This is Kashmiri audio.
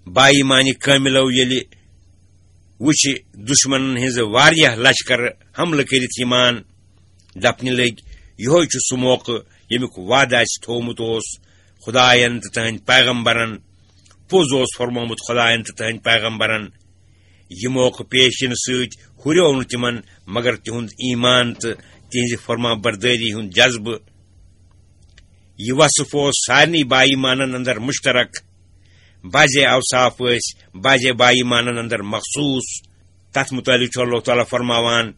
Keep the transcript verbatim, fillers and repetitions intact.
با ایمانہِ کٲمِلو ییٚلہِ وُچھِ دُشمنن ہٕنٛزٕ واریاہ لشکر حملہٕ کٔرِتھ یِوان، دپنہِ لٔگۍ، یِہوے چھُ سُہ موقعہٕ ییٚمیُک وعدٕ اَسہِ تھوومُت اوس خداین تہٕ تٕہنٛدۍ پیغمبرن۔ پوٚز اوس فرمومُت خداین تہٕ تٕہنٛدۍ پیغمبرن۔ یہِ موقعہٕ پیش یِنہٕ سۭتۍ ہُریو نہٕ تِمن مگر تِہُنٛد ایمان تہٕ تِہنٛزِ فرما بردٲری ہُنٛد جذبہٕ۔ یہِ وصف اوس سارنٕے با ایمانن اندر مشترک۔ بعضے اوصاف ٲسۍ بعضے با ایمانن اندر مخصوص۔ تتھ متعلق چھُ اللہ تعالیٰ فرماوان،